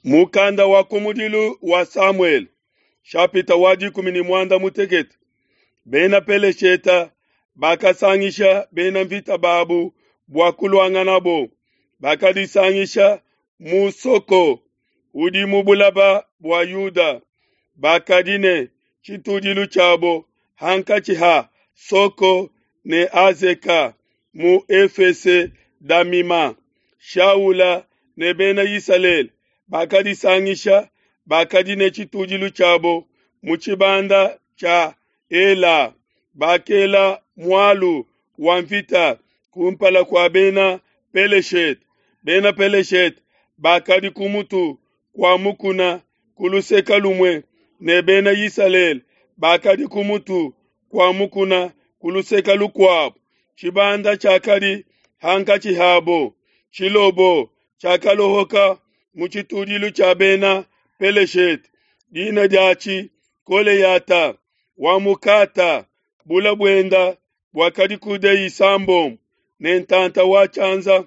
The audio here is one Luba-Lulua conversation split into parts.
Mukanda wa kumudilu wa Samuele, shapita wa 16. Bena Pelesheta bakasangisha bena mvita babu bua kuluanganabo. Bakadisangisha mu Soko udi mu bulaba bua Yuda. Bakadi ne tshitudilu tshiabo hankatshi ha Soko ne Azeka mu Efese Damima. Shaula ne bena Isalele bakadisangisha, bakadi ne tshitudilu tshiabo mu tshibanda tshia Ela. Bakela mualu wa mvita kumpala kua bena Peleshete. Bena Peleshete bakadi ku mutu kua mukuna ku luseke lumue, ne bena Isalele bakadi ku mutu kua mukuna ku luseke lukuabo. Tshibanda tshiakadi hankatshi habo. Tshilobo tshiakalohoka mu tshitudilu tshia bena Peleshete, dina diatshi Goleyata wa mu Gata. Bula buenda buakadi coudees isambombo ne ntanta wa tshianza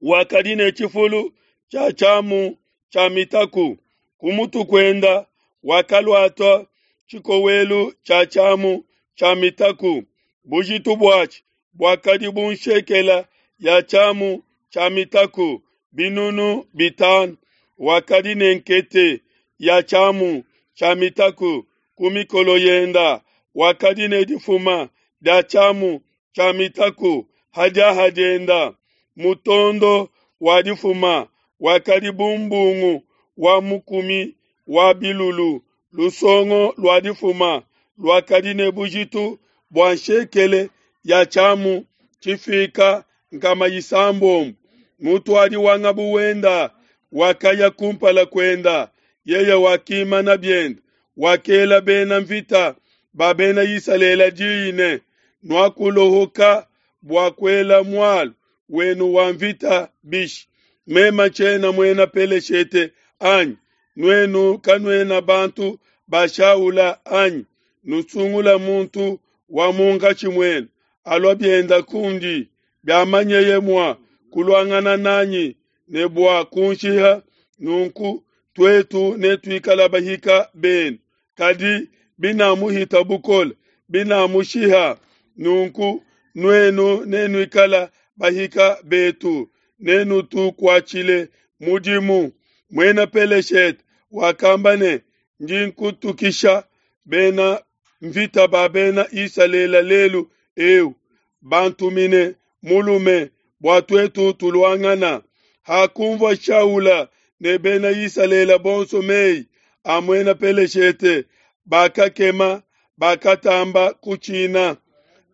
wakadi ne tshifulu tshia tshiamu tshia mitaku. Ku mutu kuenda wakaluata tshikowelu tshia tshiamu tshia mitaku, bujitu buatshi buakadi bu nshekela ya tshiamu tshia mitaku 5000. Wakadi ne nkete ya tshiamu tshia mitaku ku mikolo yenda, wakadi ne difuma dia tshiamu tshia mitaku ha diaha dienda. Mutondo wa difuma wakadi bu mbungu wa mukumi wa bilulu. Lusongo lua difuma luakadi ne bujitu bua nshekele ya tshiamu tshifika 600. Mutuadi wa ngabu wenda wakaya kumpala kuenda, yeye wakimana biende, wakela bena mvita ba bena Isalele diyi ne: Nuakulohoka bua kuela mualu wenu wa mvita bishi? Meme tshiena muena Peleshete anyi? Nuenu kanuena bantu ba Shaula anyi? Nusungula muntu wa munkatshi muenu alua bienda kundi, biamanyeye mua kuluangana nanyi ne bua kunshiha, nunku tuetu netuikale bahika benu. Kadi binamuhita bukole, binamushiha, nunku nuenu nenuikale bahika betu, nenutukuatshile mudimu. Muena Peleshete wakamba ne: Ndi nkutukisha bena mvita ba bena Isalele lelu eu, bantumine mulume bua tuetu tuluangana. Hakunvua Shaula ne bena Isalele bonso mei a muena Peleshete, bakakema, bakatamba kutshina.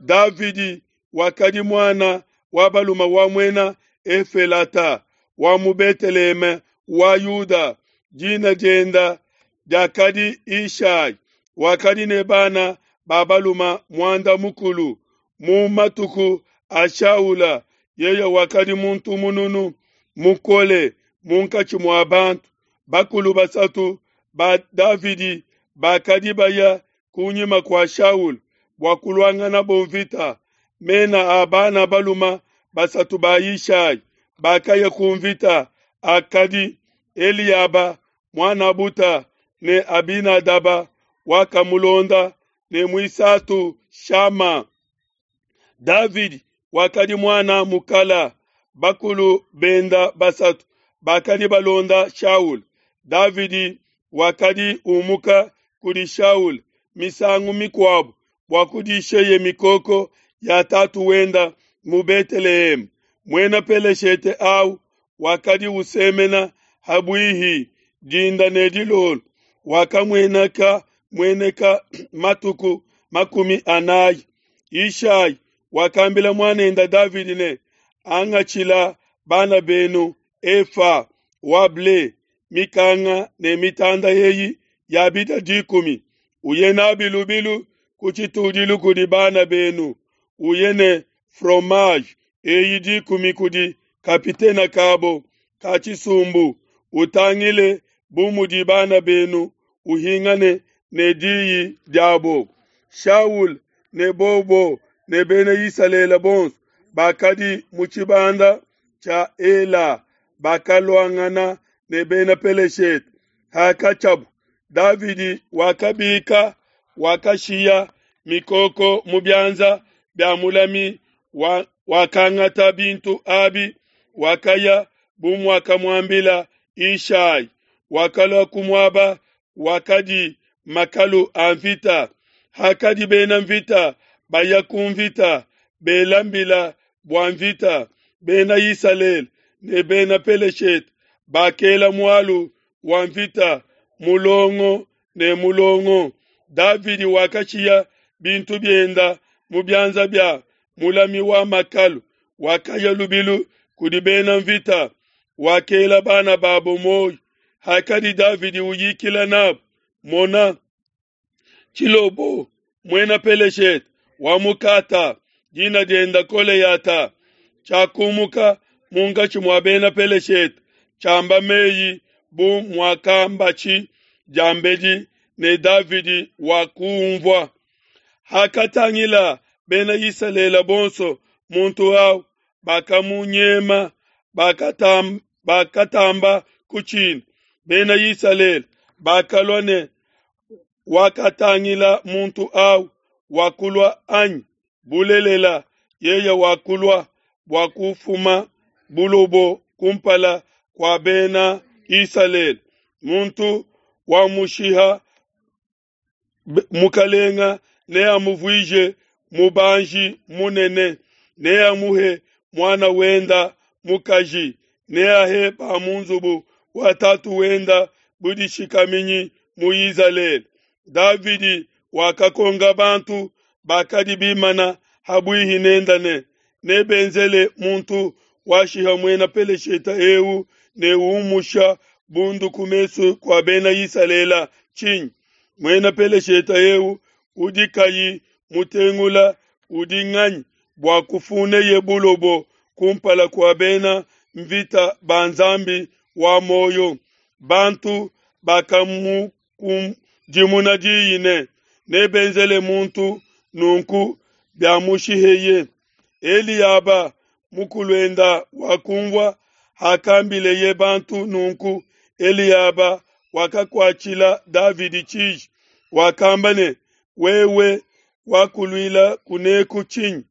Davidi wakadi muana wa balume wa muena Efelata wa mu Beteleheme wa Yuda, dina dienda diakadi Ishai. Wakadi ne bana ba balume 50. Mu matuku a Shaula yeye wakadi muntu mununu mukole munkatshi mua bantu. Bakulu basatu ba Davidi bakadi baya kunyima kua Shaula bua kuluanganabo mvita. Mena a bana balume basatu ba Ishai bakaya ku mvita akadi Eliaba muanabuta ne Abinadaba wakamulonda ne muisatu Shama. Davidi wakadi muana mukala. Bakulu benda basatu bakadi balonda Shaula. Davidi wakadi umuka kudi Shaula misangu mikuabo bua kudisheye mikoko ya tatu wenda mu Beteleheme. Muena Peleshete au wakadi usemena habuihi dinda ne dilolo, wakamueneka mueneka matuku 40. Ishai wakambila muanenda Davidi ne: Angatshila bana benu efa wa ble, mikanga ne mitanda eyi ya bita 10, uye nabi lubilu ku tshitudilu kudi bana benu, uye ne fromage eyi 10 kudi kapitena kabo ka tshisumbu, utangile bu mudi bana benu, uhingane ne diyi diabo. Shaul ne bobo ne bena Isalele bonso bakadi mu tshibanda tshia Ela bakaluangana ne Bena Peleshete. Hakatshiabu, Davidi wakabika, wakashiya mikoko mu bianza bia mulami, wakangata bintu abi, wakaya bu muakamuambila Yishai. Wakalua ku muaba wakadi makalu a mvita. Hakadi bena mvita baya ku mvita, bela mbila bua mvita, Bena Isalele ne Bena Peleshete bakela mualu wa mvita mulongo ne mulongo. Davidi wakashiya bintu bienda mu bianza bia mulami wa makalu, wakaya lubilu kudi bena mvita, wakela bana babo muoyo. Hakadi Davidi uyikila nabo, mona, Tshilobo, muena Peleshete wa mu Kata, dina dienda Koleyata, tshiakumuka munkatshi mua bena Peleshete, tshiamba meyi bu muakambatshi diambedi, ne Davidi wakumvua. Hakatangila Bena Isalele bonso muntu au, bakamunyema, bakatamba kutshina. Bena Isalele bakalua ne wakatangila muntu au wakulua anyi? Bulelela, yeye wakulua bua kufuma bulobo kumpala kua Bena Isalele. Muntu wamushiha mukalenga neamuvuije mubanji munene, neamuhe muana wenda mukaji, neahe ba mu nzubu wa tatu wenda budishikaminyi mu Izalele. Davidi wakakonga bantu bakadi bimana habuihi nenda ne, nebenzele muntu washiha muena Peleshete eu ne umusha bundu ku mesu kua Bena Isalele tshinyi? Muena Peleshete eu udi kayi mutengula udi nganyi bua kufuneye bulobo kumpala kua bena mvita ba Nzambi wa muoyo? Bantu bakamukudimuna diyi ne, nebenzele muntu nunku biamushiheye. Eliaba mukuluenda wakumvua hakambileye bantu nunku. Eliaba wakakuatshila Davidi tshiji, wakamba ne, wewe wakuluila kuneku tshinyi?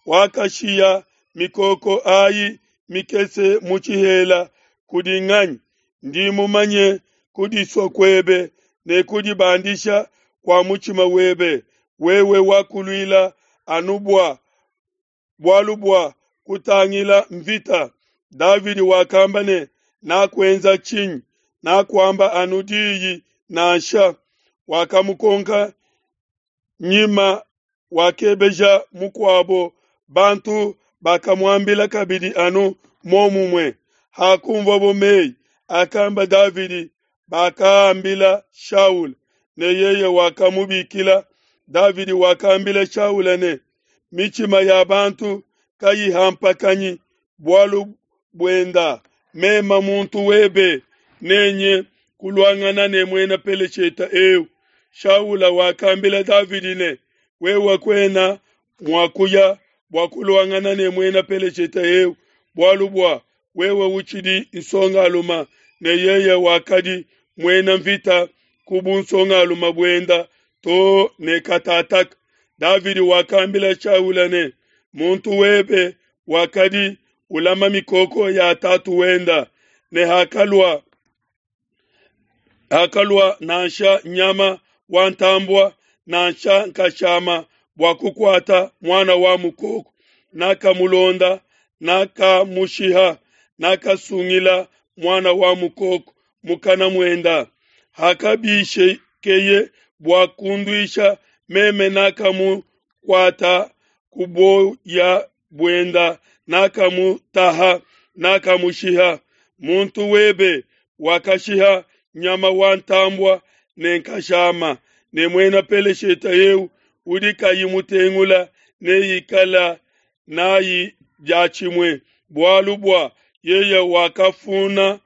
Wakashiya mikoko ayi mikese mu tshihela kudi nganyi? Ndi mumanye kudisua kuebe ne kudibandisha kua mutshima webe, wewe wakuluila anu bua bualu bua kutangila mvita. Davidi wakamba ne, nakuenza tshinyi? Nakuamba anu diyi nansha. Wakamukonka nyima, wakebeja mukuabo. Bantu bakamuambila kabidi anu momumue. Hakumvwabo meyi akamba Davidi, bakaambila Shaula, ne yeye wakamubikila. Davidi wakambila Shaula ne, mitshima ya bantu kayihampakanyi bualu buenda, mema muntu webe nenye kuluangana ne muena Peleshete eu. Shaula wakambila Davidi ne, wewe kuena mua kuya bua kuluangana ne muena Peleshete eu, bualu bua wewe utshidi nsongaluma, ne yeye wakadi muena mvita ku bunsongaluma buenda to ne katataka. Davidi wakambila Shaula ne, muntu webe wakadi ulama mikoko ya tatu wenda, ne hakalua nansha nyama wa ntambua nansha nkashama bua kukuata muana wa mukoko, nakamulonda, nakamushiha, nakasungila muana wa mukoko mukana muenda. Hakabishekeye bua kunduisha, meme nakamukuata ku buoya buenda, nakamutaha, nakamushiha. Muntu webe wakashiha nyama wa ntambua ne nkashama, ne muena Peleshete eu udi kayi mutengula neikala nayi diatshimue, bualu bua yeye wakafuna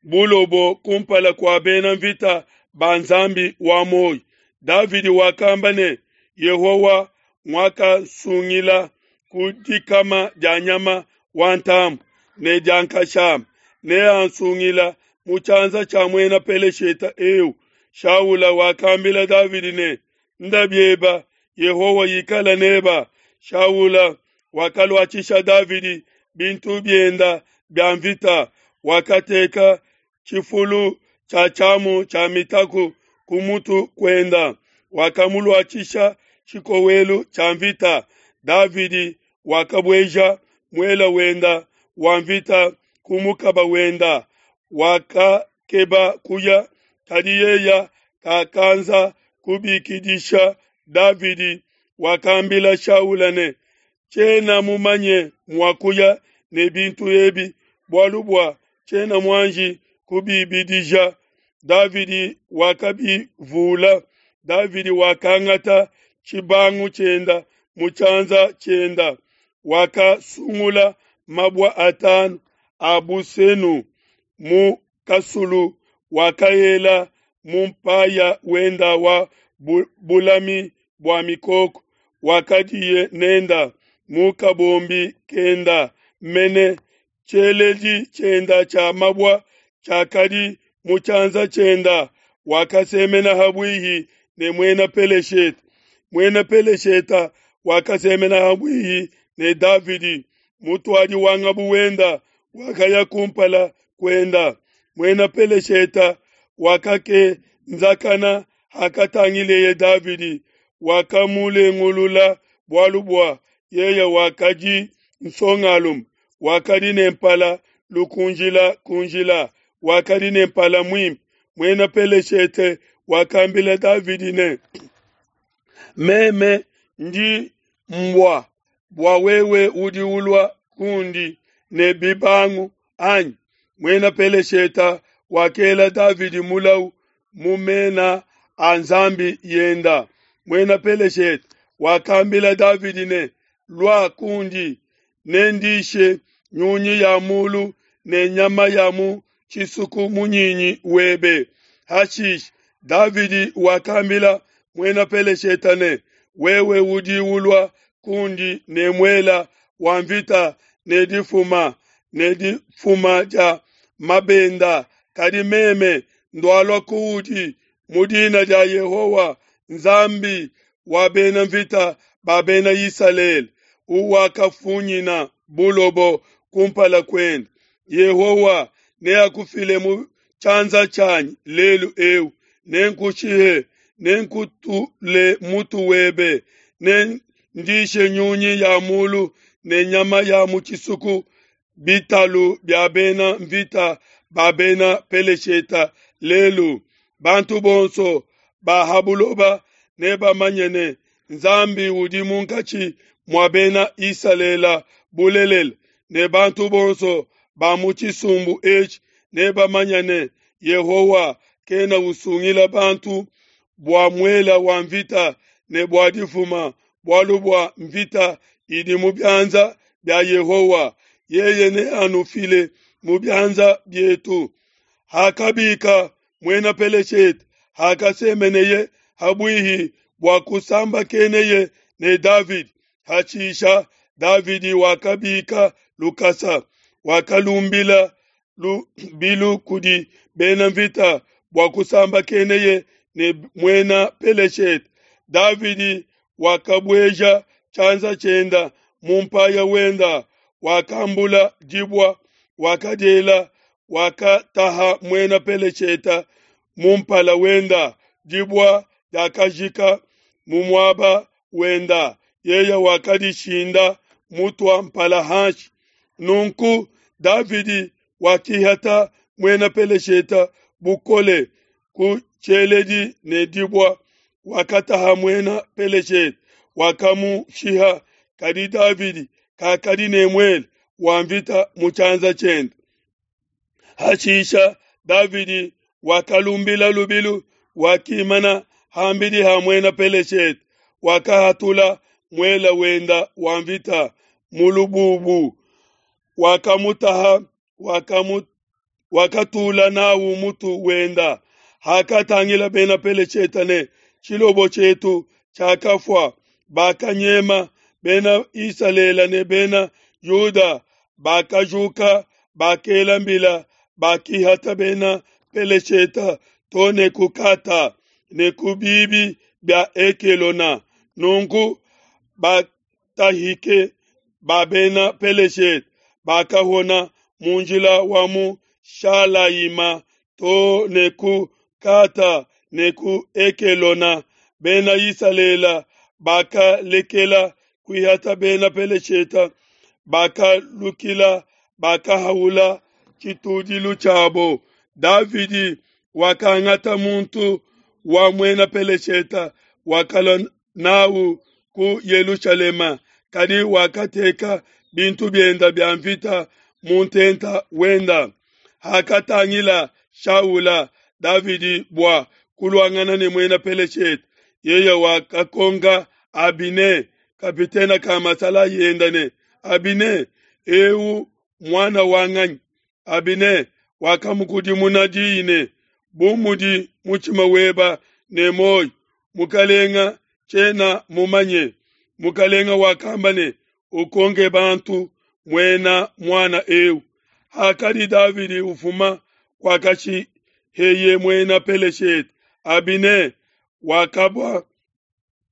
bulobo kumpala kua bena mvita ba Nzambi wa muoyo. Davidi wakamba ne, Yehowa nguakasungila ku dikama dia nyama wa ntambue ne dia nkashama, neansungila mu tshianza tshia muena Peleshete eu. Shaula wakambila Davidi ne, Nda bieba, Yehowa ikala neba. Shaula wakaluatshisha Davidi bintu bienda bia mvita, wakateka tshifulu tshia tshiamu tshia mitaku ku mutu kuenda, wakamuluatshisha tshikowelu tshia mvita. Davidi wakabueja muela wenda wa mvita ku mukaba wenda, wakakeba kuya, kadi yeya kakanza kubikidisha Davidi. Wakambila Shaula ne, Tshiena mumanye mua kuya ne bintu ebi, bualu bua tshiena muanji kubibidija. Davidi wakabivula. Davidi wakangata tshibangu tshienda mu tshianza tshienda, wakasungula mabua atanu a busenu mu kasulu, wakaela mu mpaya wenda wa bulami bua mikoko wakadiye nenda mu kabombi kenda mene tshieledi tshienda tshia mabua tshiakadi mu tshianza tshienda, wakasemena habuihi ne muena Peleshete. Muena Pelesheta wakasemena habuihi ne Davidi, mutuadi wa ngabu wenda wakaya kumpala kuenda. Muena Pelesheta wakakenzakana hakatangileye Davidi, wakamulengulula bualu bua yeye wakadi nsongalume, wakadi ne mpala lukunjila kunjila, wakadi ne mpala muimpe. Muena Peleshete wakambila Davidi ne, Meme ndi mbua bua wewe udi ulua kundi ne bibangu anyi? Muena Pelesheta wakela Davidi mulau mu mena a nzambi yenda. Muena Peleshete wakambila Davidi ne, Lua kundi, nendishe nyunyi ya mulu ne nyama ya mu tshisuku munyinyi webe. Hashishe Davidi wakambila muena Peleshete ne, Wewe udi ulua kundi ne muela wa mvita ne difuma ne difuma dia mabenda, kadi meme ndualua kuudi mu dina dia Yehowa Nzambi wa bena mvita ba bena Isalele, uwakafunyina bulobo kumpala kuende. Yehowa neakufile mu tshianza tshianyi lelu eu, nenkushihe, nenkutule mutu webe, nendishe nyunyi ya mulu ne nyama ya mu tshisuku bitalu bia bena mvita ba bena Pelesheta lelu. Bantu bonso ba ha buloba nebamanye ne, Nzambi udi munkatshi mua bena Isalele bulelela, ne bantu bonso ba mu tshisumbu etshi nebamanye ne, Yehowa kena usungila bantu bua muela wa mvita ne bua difuma, bualu bua mvita idi mu bianza bia Yehowa, yeye neanufile mu bianza bietu. Hakabika muena Peleshete, hakasemeneye habuihi bua kusambakeneye ne Davidi, hashisha Davidi wakabika lukasa, wakalumbila lubilu kudi bena mvita bua kusambakeneye ne muena Peleshete. Davidi wakabueja tshianza tshienda mu mpaya wenda, wakambula dibua, wakadiela, wakataha muena Peleshete mu mpala wenda. Dibua diakajika mu muaba wenda, yeye wakadishinda mutua mpala hanshi. Nunku Davidi wakihata muena Peleshete bukole ku tshieledi ne dibua, wakataha muena Peleshete, wakamushiha. Kadi Davidi kakadi ne muele wa mvita mu tshianza tshiende. Hashisha Davidi wakalumbila lubilu, wakimana hambidi ha muena Peleshete, wakahatula muela wenda wa mvita mu lububu, wakamutaha, wakatula nawu mutu wenda. Hakatangila bena Peleshete ne tshilobo tshietu tshiakafua, bakanyema. Bena Isalele ne bena Yuda bakajuka, bakela mbila, bakihata Bena Pelesheta to ne ku Kata ne ku bibi bia Ekelona. Nunku batahike ba Bena Peleshete bakahona mu njila wa mu Shalayima to ne ku Kata ne ku Ekelona. Bena Isalele bakalekela kuihata Bena Peleshete, bakalukila, bakahaula tshitudilu tshiabo. Davidi wakangata muntu wa muena Peleshete, wakalua n'au ku Yelushalema, kadi wakateka bintu bienda bia mvita mu ntenta wenda. Hakatangila Shaula Davidi bua kuluangana ne muena Peleshete, yeye wakakonka Abine, kapitene ka masalayi enda ne, Abine, eu muana wa nganyi? Abine wakamukudimuna diyi ne, Bu mudi mutshima weba ne muoyo, mukalenga, tshiena mumanye. Mukalenga wakamba ne, Ukonke bantu muena muana eu. Hakadi Davidi ufuma kuakashiheye muena Peleshete, Abine wakabua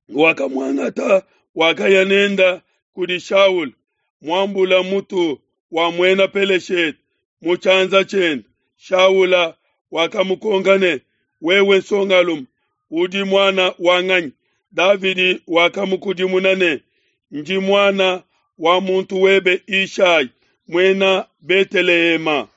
wakamuangata, wakaya nenda kudi Shaula, muambula mutu wa muena Peleshete mu tshianza tshiende. Shaula wakamukonka ne, Wewe nsongalume, udi muana wa nganyi? Davidi wakamukudimuna ne, Ndi muana wa muntu webe Yishai, muena Betelehema.